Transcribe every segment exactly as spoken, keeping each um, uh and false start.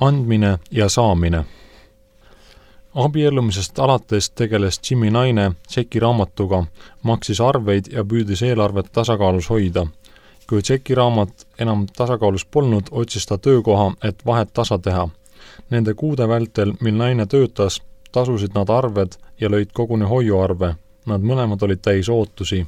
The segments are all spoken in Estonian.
Andmine ja saamine. Abiellumisest alates tegeles Jimmy naine tšekiraamatuga, maksis arveid ja püüdis eelarvet tasakaalus hoida. Kui tšekiraamat enam tasakaalus polnud, otsis ta töökoha, et vahet tasa teha. Nende kuude vältel, mil naine töötas, tasusid nad arved ja lõid koguni hoiuarve. Nad mõlemad olid täis ootusi.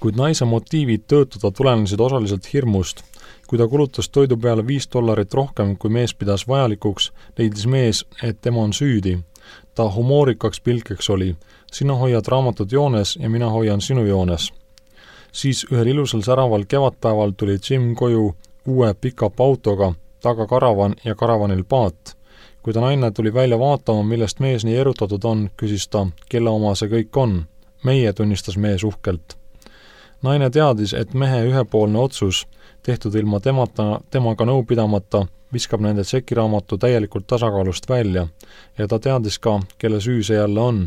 Kuid naise motiivid töötada tulenesid osaliselt hirmust. Kui ta kulutas toidu peale viis dollarit rohkem, kui mees pidas vajalikuks, leidis mees, et tema on süüdi. Ta humoorikaks pilkeks oli. Sina hoiad raamatut joones ja mina hoian sinu joones. Siis ühel ilusal säraval kevadpäeval tuli Jim koju uue pick-up autoga, taga karavan ja karavanil paat. Kui ta naine tuli välja vaatama, millest mees nii erutatud on, küsis ta, kelle oma see kõik on. Meie, tunnistas mees uhkelt. Naine teadis, et mehe ühepoolne otsus, tehtud ilma temata, temaga nõu pidamata, viskab nende tšekiraamatu täielikult tasakaalust välja ja ta teadis ka, kelle süü see jälle on.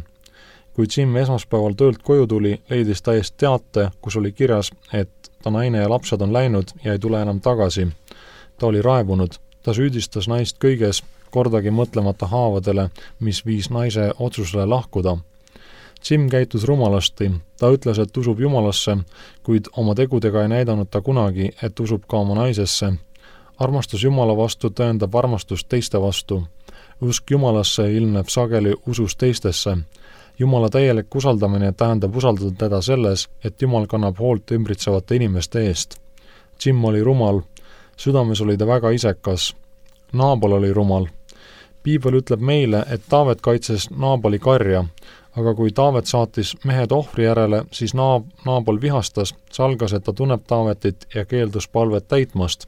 Kui Jim esmaspäeval töölt koju tuli, leidis ta eest teate, kus oli kirjas, et ta naine ja lapsed on läinud ja ei tule enam tagasi. Ta oli raevunud. Ta süüdistas naist kõiges, kordagi mõtlemata haavadele, mis viis naise otsusele lahkuda. Jim käitus rumalasti. Ta ütles, et usub Jumalasse, kuid oma tegudega ei näidanud ta kunagi, et usub ka oma naisesse. Armastus Jumala vastu tõendab armastust teiste vastu. Usk Jumalasse ilmneb sageli usus teistesse. Jumala täielik usaldamine tähendab usaldada teda selles, et Jumal kannab hoolt ümbritsevate inimeste eest. Jim oli rumal. Südames oli ta väga isekas. Naabal oli rumal. Piibel ütleb meile, et Taavet kaitses Naabali karja, aga kui Taavet saatis mehed ohvri järele, siis naab, Naabal vihastas, salgas, et ta tunneb Taavetit ja keeldus palvet täitmast.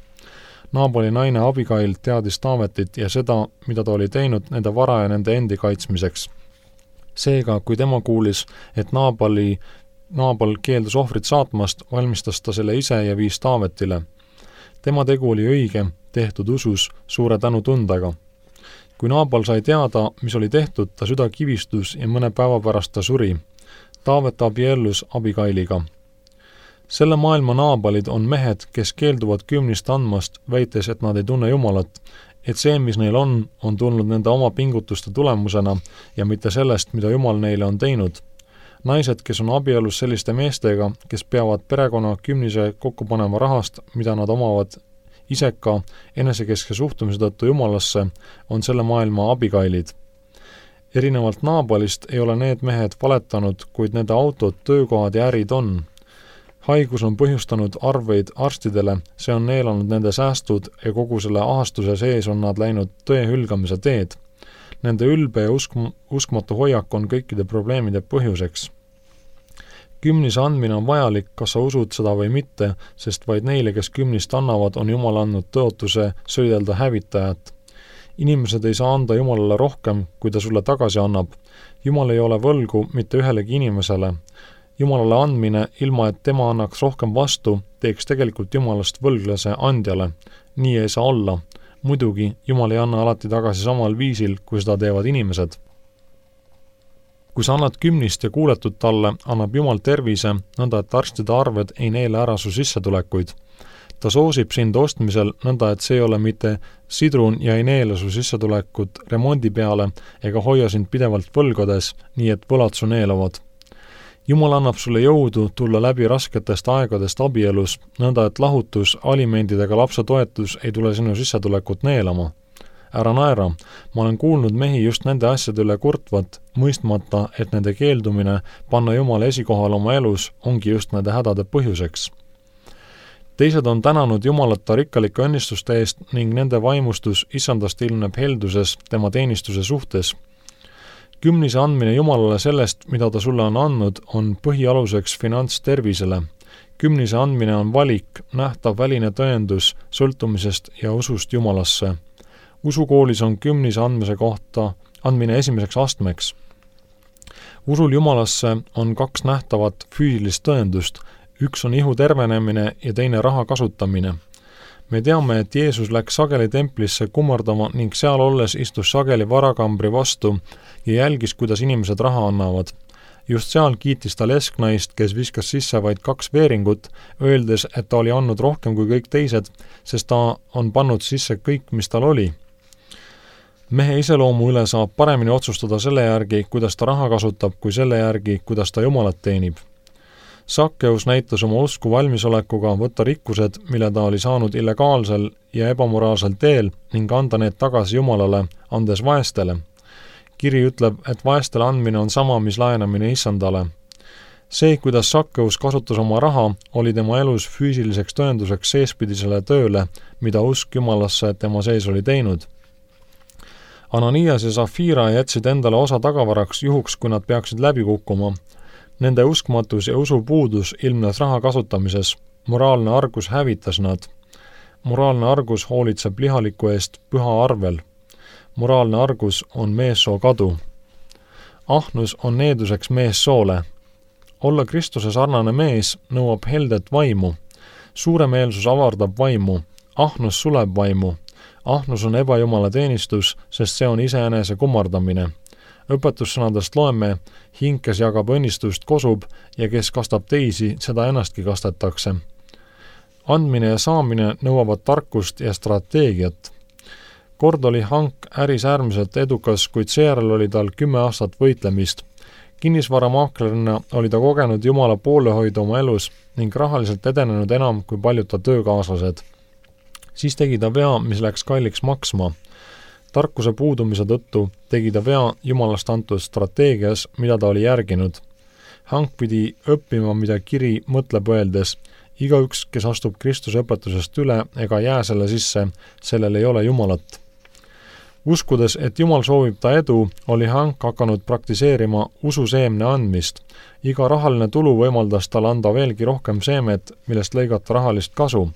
Naabali naine Abigail teadis Taavetit ja seda, mida ta oli teinud nende vara ja nende endi kaitsmiseks. Seega, kui tema kuulis, et Naabali, Naabal keeldus ohvrit saatmast, valmistas ta selle ise ja viis Taavetile. Tema tegu oli õige, tehtud usus, suure tänu tundega. Kui Naabal sai teada, mis oli tehtud, ta süda kivistus ja mõne päeva pärast ta suri. Taavet abiellus Abigailiga. Selle maailma naabalid on mehed, kes keelduvad kümnist andmast, väites, et nad ei tunne Jumalat, et see, mis neil on, on tulnud nende oma pingutuste tulemusena ja mitte sellest, mida Jumal neile on teinud. Naised, kes on abielus selliste meestega, kes peavad perekonna kümnise kokku panema rahast, mida nad omavad iseka enesekeske suhtumise tõttu Jumalasse, on selle maailma Abigailid. Erinevalt Naabalist ei ole need mehed valetanud, kuid nende autod, töökohad ja ärid on. Haigus on põhjustanud arveid arstidele, see on neelanud nende säästud ja kogu selle ahastuse sees on nad läinud tõe hülgamise teed. Nende ülbe ja usk- uskmatu hoiak on kõikide probleemide põhjuseks. Kümnise andmine on vajalik, kas sa usud seda või mitte, sest vaid neile, kes kümnist annavad, on Jumal andnud tõotuse söidelda hävitajat. Inimesed ei saa anda Jumalale rohkem, kui ta sulle tagasi annab. Jumal ei ole võlgu mitte ühelegi inimesele. Jumalale andmine, ilma et tema annaks rohkem vastu, teeks tegelikult Jumalast võlglase andjale. Nii ei saa olla. Muidugi, Jumal ei anna alati tagasi samal viisil, kui seda teevad inimesed. Kui sa annad kümnist ja kuuletud talle, annab Jumal tervise, nõnda et arstide arved ei neele ära su sissetulekuid. Ta soosib sind ostmisel, nõnda et see ei ole mitte sidrun ja ei neele su sissetulekut remondi peale ega hoia sind pidevalt võlgades, nii et võlad su neelavad. Jumal annab sulle jõudu tulla läbi rasketest aegadest abielus, nõnda et lahutus, alimendidega lapse toetus ei tule sinu sissetulekut neelama. Ära naera, ma olen kuulnud mehi just nende asjade üle kurtvat, mõistmata, et nende keeldumine panna Jumala esikohal oma elus ongi just nende hädade põhjuseks. Teised on tänanud Jumalata rikkalike õnnistuste eest ning nende vaimustus isandast ilmneb helduses tema teenistuse suhtes. Kümnise andmine Jumalale sellest, mida ta sulle on andnud, on põhialuseks finantstervisele. Kümnise andmine on valik, nähtav väline tõendus sõltumisest ja usust Jumalasse. Usukoolis on kümnise andmise kohta andmine esimeseks astmeks. Usul Jumalasse on kaks nähtavat füüsilist tõendust. Üks on ihu tervenemine ja teine raha kasutamine. Me teame, et Jeesus läks sageli templisse kummardama ning seal olles istus sageli varakambri vastu ja jälgis, kuidas inimesed raha annavad. Just seal kiitis ta lesknaist, kes viskas sisse vaid kaks veeringut, öeldes, et ta oli andnud rohkem kui kõik teised, sest ta on pannud sisse kõik, mis tal oli. mehe iseloomu üle saab paremini otsustada selle järgi, kuidas ta raha kasutab, kui selle järgi, kuidas ta Jumalat teenib. Sakkeus näitas oma usku valmisolekuga võtta rikkused, mille ta oli saanud illegaalsel ja ebamoraalsel teel ning anda need tagasi Jumalale, andes vaestele. Kiri ütleb, et vaestele andmine on sama, mis laenamine issandale. See, kuidas Sakkeus kasutas oma raha, oli tema elus füüsiliseks tõenduseks seespidisele tööle, mida usk Jumalasse tema sees oli teinud. Ananias ja Safira jätsid endale osa tagavaraks juhuks, kui nad peaksid läbi kukkuma. Nende uskmatus ja usupuudus ilmnes raha kasutamises. Moraalne argus hävitas nad. Moraalne argus hoolitseb lihaliku eest püha arvel. Moraalne argus on meessoo kadu. Ahnus on needuseks meessoole. Olla Kristuse sarnane mees nõuab heldet vaimu. Suuremeelsus avardab vaimu. Ahnus suleb vaimu. Ahnus on ebajumala teenistus, sest see on iseenese kummardamine. Õpetussõnadest loeme, hing, kes jagab õnnistust, kosub ja kes kastab teisi, seda ennastki kastetakse. Andmine ja saamine nõuavad tarkust ja strateegiat. Kord oli Hank äris äärmiselt edukas, kuid seejärel oli tal kümme aastat võitlemist. Kinnisvaramaaklerina oli ta kogenud Jumala poolehoidu oma elus ning rahaliselt edenenud enam kui paljud ta töökaaslased. Siis tegi ta vea, mis läks kalliks maksma. Tarkuse puudumise tõttu tegi ta vea Jumalast antud strateegias, mida ta oli järginud. Hank pidi õppima, mida kiri mõtleb öeldes. Igaüks, kes astub Kristuse õpetusest üle ega jää selle sisse, sellel ei ole Jumalat. Uskudes, et Jumal soovib ta edu, oli Hank hakanud praktiseerima ususeemne andmist. Iga rahaline tulu võimaldas tal anda veelgi rohkem seemet, millest lõigata rahalist kasu.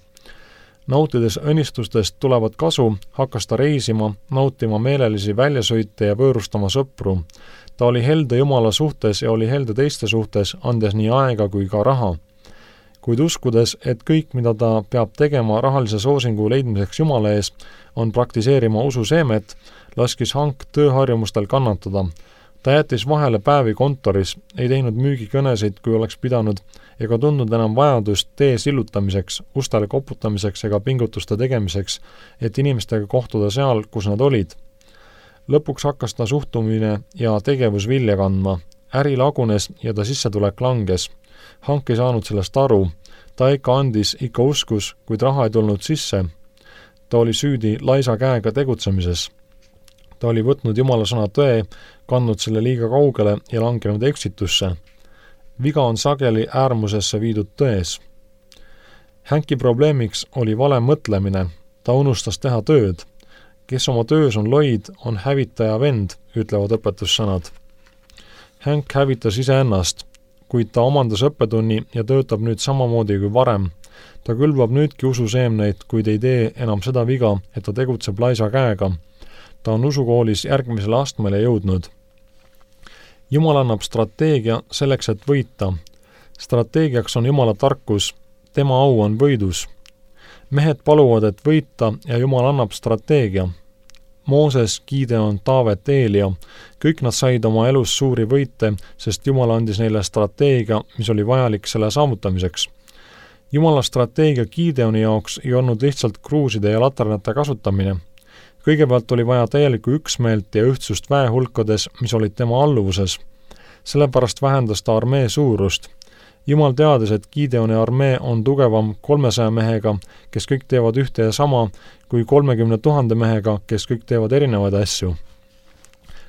Nautides õnnistustest tulevat kasu, hakkas ta reisima, nautima meelelisi väljasõite ja võõrustama sõpru. Ta oli helde Jumala suhtes ja oli helde teiste suhtes, andes nii aega kui ka raha. Kuid uskudes, et kõik, mida ta peab tegema rahalise soosingu leidmiseks Jumala ees, on praktiseerima ususeemet, laskis Hank tööharjumustel kannatada. Ta jättis vahele päevi kontoris, ei teinud müügikõnesid, kui oleks pidanud, ega tundnud enam vajadust tee sillutamiseks, ustele koputamiseks ega pingutuste tegemiseks, et inimestega kohtuda seal, kus nad olid. Lõpuks hakkas ta suhtumine ja tegevus vilja kandma. Äri lagunes ja ta sissetulek langes. Hank ei saanud sellest aru. Ta ikka andis, ikka uskus, kuid raha ei tulnud sisse. Ta oli süüdi laisa käega tegutsemises. Ta oli võtnud Jumala sõna tõe, kandnud selle liiga kaugele ja langenud eksitusse. Viga on sageli äärmusesse viidud tões. Hanki probleemiks oli vale mõtlemine. Ta unustas teha tööd. Kes oma töös on loid, on hävitaja vend, ütlevad õpetussõnad. Hank hävitas iseennast, kuid ta omandas õppetunni ja töötab nüüd samamoodi kui varem. Ta külvab nüüdki ususeemneid, kuid ei tee enam seda viga, et ta tegutseb laisa käega. Ta on usukoolis järgmisele astmele jõudnud. Jumal annab strateegia selleks, et võita. Strateegiaks on Jumala tarkus, tema au on võidus. Mehed paluvad, et võita ja Jumal annab strateegia. Mooses, Gideon, Taavet, Eelia, kõik nad said oma elus suuri võite, sest Jumal andis neile strateegia, mis oli vajalik selle saavutamiseks. Jumala strateegia Gideoni jaoks ei olnud lihtsalt kruuside ja laternate kasutamine. Kõigepealt oli vaja täielikku üksmeelt ja ühtsust väehulkades, mis olid tema alluvuses. Sellepärast vähendas ta armee suurust. Jumal teadis, et Gideoni armee on tugevam kolmesaja mehega, kes kõik teevad ühte ja sama, kui kolmekümne tuhande mehega, kes kõik teevad erinevaid asju.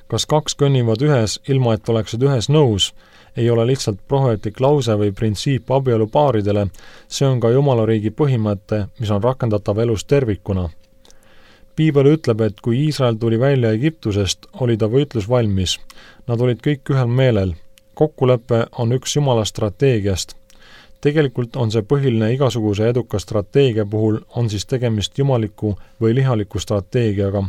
Kas kaks kõnnivad ühes, ilma et oleksid ühes nõus, ei ole lihtsalt prohvetlik lause või printsiip abielupaaridele, see on ka Jumalariigi põhimõte, mis on rakendatav elus tervikuna. Piibel ütleb, et kui Iisrael tuli välja Egiptusest, oli ta võitlus valmis. Nad olid kõik ühel meelel. Kokkulepe on üks Jumala strateegiast. Tegelikult on see põhiline igasuguse eduka strateegia puhul, on siis tegemist jumaliku või lihaliku strateegiaga.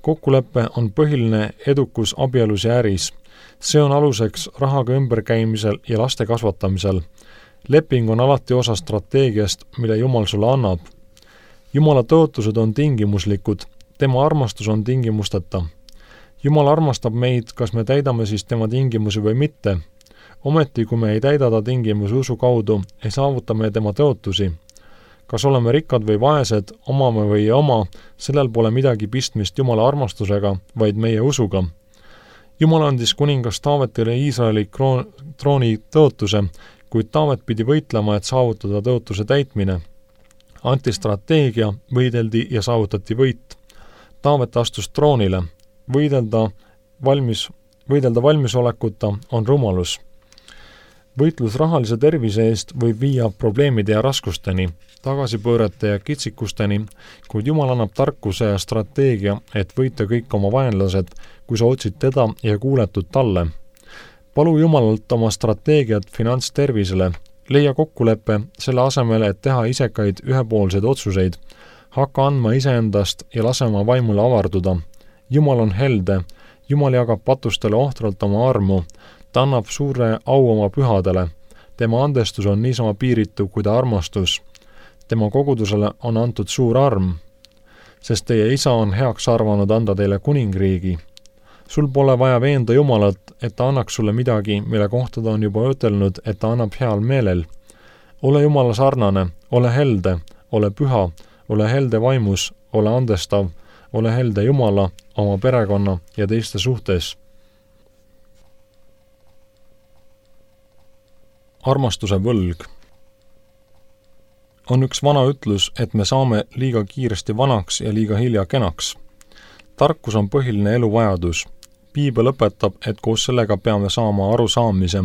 Kokkulepe on põhiline edukus abielus ja äris. See on aluseks rahaga ümberkäimisel ja laste kasvatamisel. Leping on alati osa strateegiast, mille Jumal sulle annab. Jumala tõotused on tingimuslikud, tema armastus on tingimusteta. Jumal armastab meid, kas me täidame siis tema tingimusi või mitte. Ometi, kui me ei täida ta tingimusi usu kaudu, ei saavuta me tema tõotusi. Kas oleme rikkad või vaesed, omame või ei oma, sellel pole midagi pistmist Jumala armastusega, vaid meie usuga. Jumal andis kuningas Taavetile Iisraeli kroon, trooni tõotuse, kuid Taavet pidi võitlema, et saavutada tõotuse täitmine. Anti strateegia, võideldi ja saavutati võit. Taavet astus troonile. Võidelda, valmis, võidelda valmisolekuta on rumalus. Võitlus rahalise tervise eest võib viia probleemide ja raskusteni, tagasipöörete ja kitsikusteni, kuid Jumal annab tarkuse ja strateegia, et võita kõik oma vaenlased, kui sa otsid teda ja kuuletud talle. Palu Jumalalt oma strateegiat finantstervisele, leia kokkuleppe selle asemel, et teha isekaid ühepoolseid otsuseid, hakka andma iseendast ja lase oma vaimule avarduda. Jumal on helde, Jumal jagab patustele ohtralt oma armu, ta annab suure au oma pühadele. Tema andestus on niisama piiritu kui ta armastus. Tema kogudusele on antud suur arm, sest teie isa on heaks arvanud anda teile kuningriigi. Sul pole vaja veenda Jumalat, et ta annaks sulle midagi, mille kohta ta on juba ütelnud, et ta annab heal meelel. Ole Jumala sarnane, ole helde, ole püha, ole helde vaimus, ole andestav, ole helde Jumala, oma perekonna ja teiste suhtes. Armastuse võlg. On üks vana ütlus, et me saame liiga kiiresti vanaks ja liiga hilja kenaks. Tarkus on põhiline eluvajadus. Piibel õpetab, et koos sellega peame saama arusaamise.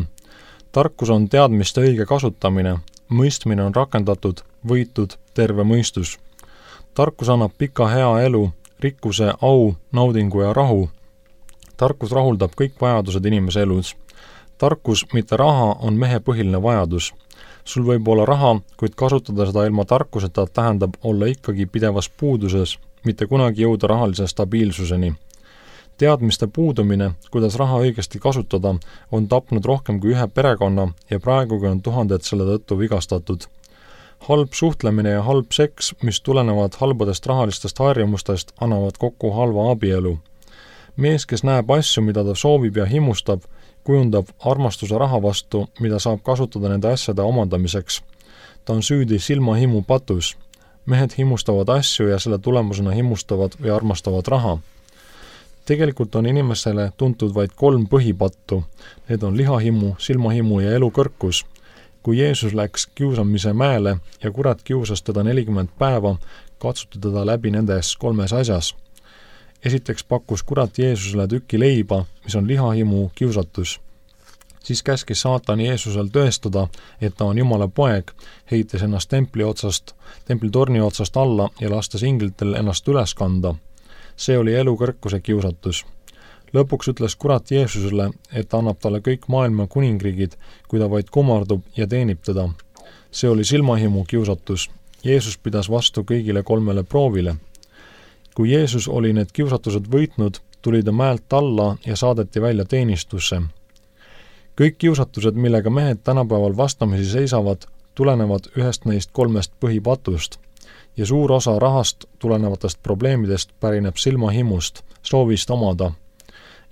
Tarkus on teadmiste õige kasutamine, mõistmine on rakendatud, võitud, terve mõistus. Tarkus annab pika hea elu, rikkuse, au, naudingu ja rahu. Tarkus rahuldab kõik vajadused inimese elus. Tarkus, mitte raha, on mehe põhiline vajadus. Sul võib olla raha, kuid kasutada seda ilma tarkuseta tähendab olla ikkagi pidevas puuduses, mitte kunagi jõuda rahalise stabiilsuseni. Teadmiste puudumine, kuidas raha õigesti kasutada, on tapnud rohkem kui ühe perekonna ja praegugi on tuhanded selle tõttu vigastatud. Halb suhtlemine ja halb seks, mis tulenevad halbadest rahalistest harjumustest, annavad kokku halva abielu. Mees, kes näeb asju, mida ta soovib ja himustab, kujundab armastuse raha vastu, mida saab kasutada nende asjade omandamiseks. Ta on süüdi silmahimu patus. Mehed himustavad asju ja selle tulemusena himustavad või armastavad raha. Tegelikult on inimesele tuntud vaid kolm põhipattu. Need on lihahimu, silmahimu ja elukõrkus. Kui Jeesus läks kiusamise mäele ja kurat kiusas teda nelikümmend päeva, katsuti teda läbi nendes kolmes asjas. Esiteks pakkus kurat Jeesusele tüki leiba, mis on lihahimu kiusatus. Siis käskis saatan Jeesusel tõestada, et ta on Jumala poeg, heites ennast templi otsast, templitorni otsast alla ja lastes inglitel ennast üles kanda. See oli elukõrkuse kiusatus. Lõpuks ütles kurat Jeesusele, et ta annab talle kõik maailma kuningriigid, kui ta vaid kumardub ja teenib teda. See oli silmahimu kiusatus. Jeesus pidas vastu kõigile kolmele proovile. Kui Jeesus oli need kiusatused võitnud, tuli ta mäelt alla ja saadeti välja teenistusse. Kõik kiusatused, millega mehed tänapäeval vastamisi seisavad, tulenevad ühest neist kolmest põhipatust ja suur osa rahast tulenevatest probleemidest pärineb silmahimust, soovist omada.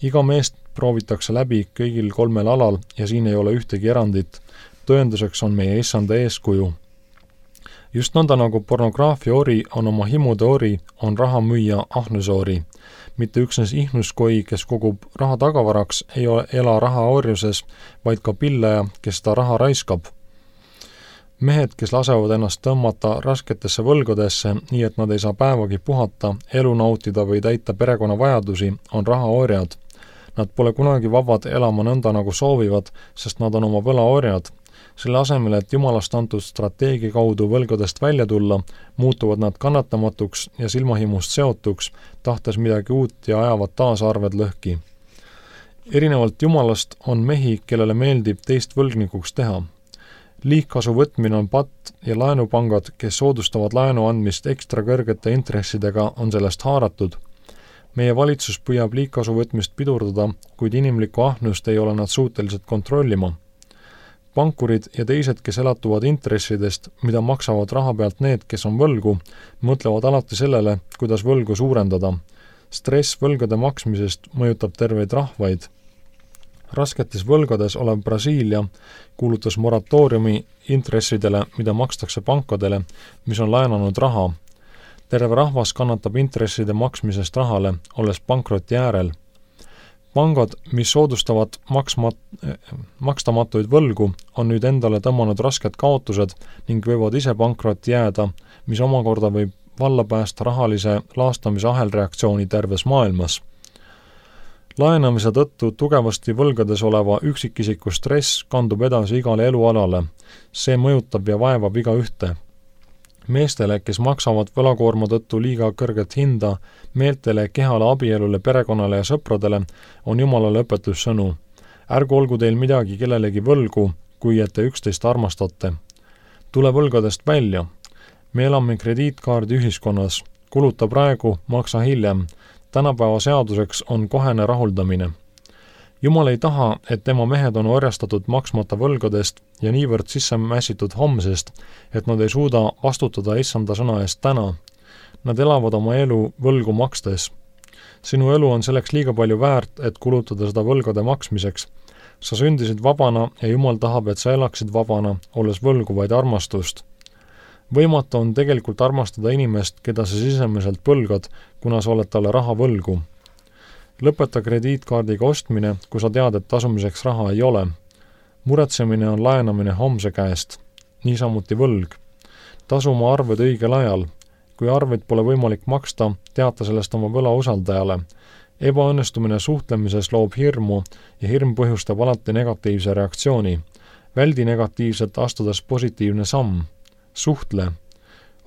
Iga meest proovitakse läbi kõigil kolmel alal ja siin ei ole ühtegi erandit. Tõenduseks on meie issanda eeskuju. Just nõnda nagu pornograafia ori on oma himude ori, on rahamüüja ahnuse ori. Mitte üksnes ihnuskoi, kes kogub raha tagavaraks, ei ela raha orjuses, vaid ka pillaja, kes ta raha raiskab. Mehed, kes lasevad ennast tõmmata rasketesse võlgadesse, nii et nad ei saa päevagi puhata, elu nautida või täita perekonna vajadusi, on rahaorjad. Nad pole kunagi vabad elama nõnda nagu soovivad, sest nad on oma võlaorjad. Selle asemel, et Jumalast antud strateegia kaudu võlgadest välja tulla, muutuvad nad kannatamatuks ja silmahimust seotuks, tahtes midagi uut ja ajavad taas arved lõhki. Erinevalt Jumalast on mehi, kellele meeldib teist võlgnikuks teha. Liigkasu võtmine on patt ja laenupangad, kes soodustavad laenu andmist ekstra kõrgete intressidega, on sellest haaratud. Meie valitsus püüab liigkasu võtmist pidurdada, kuid inimlikku ahnust ei ole nad suutelised kontrollima. Pankurid ja teised, kes elatuvad intressidest, mida maksavad raha pealt need, kes on võlgu, mõtlevad alati sellele, kuidas võlgu suurendada. Stress võlgade maksmisest mõjutab terveid rahvaid. Rasketes võlgades olev Brasiilia kuulutas moratooriumi intressidele, mida makstakse pankadele, mis on laenanud raha. Terve rahvas kannatab intresside maksmisest rahale, olles pankroti äärel. Pangad, mis soodustavad maksmat- makstamatuid võlgu, on nüüd endale tõmmanud rasked kaotused ning võivad ise pankrotti jääda, mis omakorda võib valla päästa rahalise laastamise ahelreaktsiooni terves maailmas. Laenamise tõttu tugevasti võlgades oleva üksikisiku stress kandub edasi igale elualale. See mõjutab ja vaevab iga ühte. Meestele, kes maksavad võlakoorma tõttu liiga kõrget hinda, meeltele, kehale, abielule, perekonnale ja sõpradele, on Jumalale õpetussõnu. Ärgu olgu teil midagi kellelegi võlgu, kui et te üksteist armastate. Tule võlgadest välja. Me elame krediitkaardi ühiskonnas. Kuluta praegu, maksa hiljem. Tänapäeva seaduseks on kohene rahuldamine. Jumal ei taha, et tema mehed on orjastatud maksmata võlgadest ja niivõrd sisse mässitud homsest, et nad ei suuda vastutada issanda sõna eest täna. Nad elavad oma elu võlgu makstes. Sinu elu on selleks liiga palju väärt, et kulutada seda võlgade maksmiseks. Sa sündisid vabana ja Jumal tahab, et sa elaksid vabana, olles võlgu vaid armastust. Võimatu on tegelikult armastada inimest, keda sa sisemiselt põlgad, kuna sa oled talle raha võlgu. Lõpeta krediitkaardiga ostmine, kui sa tead, et tasumiseks raha ei ole. Muretsemine on laenamine homse käest. Niisamuti võlg. Tasu oma arved õigel ajal. Kui arveid pole võimalik maksta, teata sellest oma võla usaldajale. Ebaõnnestumine suhtlemises loob hirmu ja hirm põhjustab alati negatiivse reaktsiooni. Väldi negatiivset, astudes positiivne samm. Suhtle.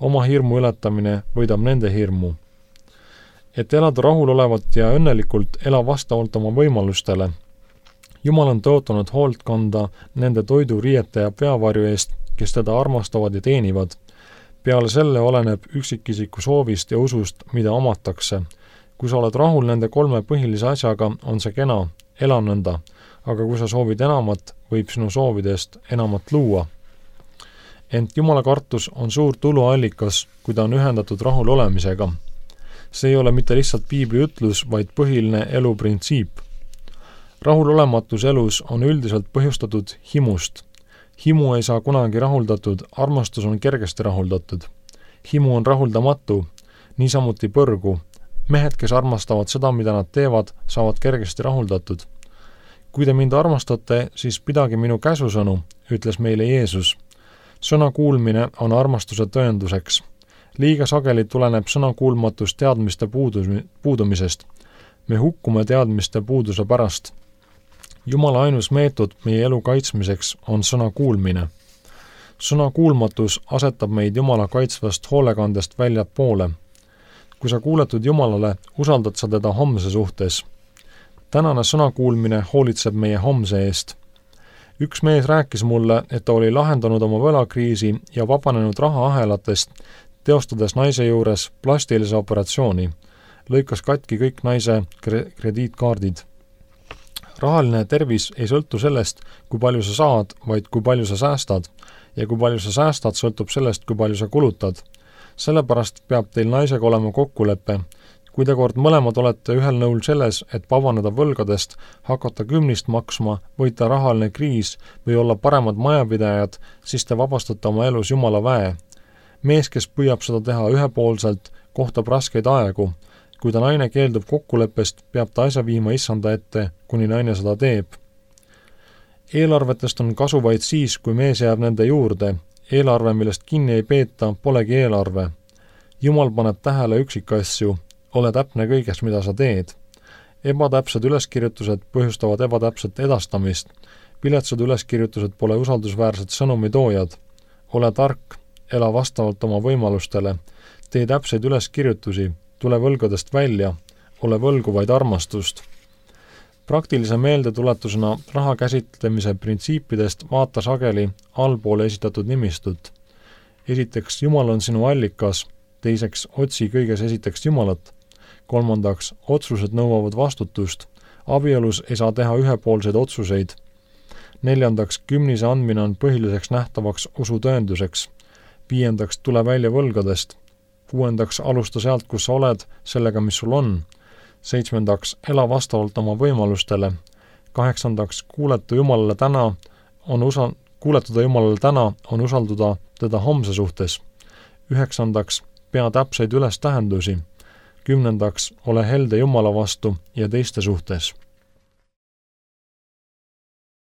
Oma hirmu ületamine võidab nende hirmu. Et elada rahulolevalt ja õnnelikult, ela vastavalt oma võimalustele. Jumal on tõotanud hoolt kanda nende toidu, riiete ja peavarju eest, kes teda armastavad ja teenivad. Peale selle oleneb üksikisiku soovist ja usust, mida omatakse. Kui sa oled rahul nende kolme põhilise asjaga, on see kena, ela nõnda. Aga kui sa soovid enamat, võib sinu soovidest enamat luua. Ent Jumala kartus on suur tuluallikas, kui ta on ühendatud rahul olemisega. See ei ole mitte lihtsalt piibli ütlus, vaid põhiline eluprintsiip. Rahulolematus elus on üldiselt põhjustatud himust. Himu ei saa kunagi rahuldatud, armastus on kergesti rahuldatud. Himu on rahuldamatu, niisamuti põrgu. Mehed, kes armastavad seda, mida nad teevad, saavad kergesti rahuldatud. Kui te mind armastate, siis pidage minu käsusõnu, ütles meile Jeesus. Sõna kuulmine on armastuse tõenduseks. Liiga sageli tuleneb sõnakuulmatus teadmiste puudumisest. Me hukkume teadmiste puuduse pärast. Jumala ainus meetod meie elu kaitsmiseks on sõna kuulmine. Sõna kuulmatus asetab meid Jumala kaitsvast hoolekandest väljapoole. Kui sa kuuletud Jumalale, usaldad sa teda homse suhtes. Tänane sõna kuulmine hoolitseb meie homse eest. Üks mees rääkis mulle, et ta oli lahendanud oma võlakriisi ja vabanenud rahaahelatest, teostades naise juures plastilise operatsiooni. Lõikas katki kõik naise krediitkaardid. Rahaline tervis ei sõltu sellest, kui palju sa saad, vaid kui palju sa säästad. Ja kui palju sa säästad, sõltub sellest, kui palju sa kulutad. Sellepärast peab teil naisega olema kokkulepe. Kui te kord mõlemad olete ühel nõul selles, et vabaneda võlgadest, hakata kümnist maksma, võita rahaline kriis või olla paremad majapidajad, siis te vabastate oma elus Jumala väe. Mees, kes püüab seda teha ühepoolselt, kohtab raskeid aegu. Kui ta naine keeldub kokkuleppest, peab ta asja viima issanda ette, kuni naine seda teeb. Eelarvetest on kasu vaid siis, kui mees jääb nende juurde. Eelarve, millest kinni ei peeta, polegi eelarve. Jumal paneb tähele üksikasju. Ole täpne kõigest, mida sa teed. Ebatäpsed üleskirjutused põhjustavad ebatäpset edastamist. Piletsad üleskirjutused pole usaldusväärsed sõnumitoojad. Ole tark, ela vastavalt oma võimalustele. Tee täpseid üleskirjutusi, tule võlgadest välja, ole võlgu vaid armastust. Praktilise meeldetuletusena raha käsitlemise printsiipidest vaata sageli allpoole esitatud nimistut. Esiteks, Jumal on sinu allikas, teiseks, otsi kõiges esiteks Jumalat. Kolmandaks, otsused nõuavad vastutust. Abielus ei saa teha ühepoolseid otsuseid. Neljandaks, kümnise andmine on põhiliseks nähtavaks usu tõenduseks. Viiendaks, tule välja võlgadest. Kuuendaks, alusta sealt, kus sa oled, sellega, mis sul on. Seitsmendaks, ela vastavalt oma võimalustele. kaheksandaks, kuuletu Jumalale täna on usa-, kuuletuda Jumalale täna on usalduda teda homse suhtes. Üheksandaks, pea täpseid üles tähendusi. Kümnendaks, ole helde Jumala vastu ja teiste suhtes.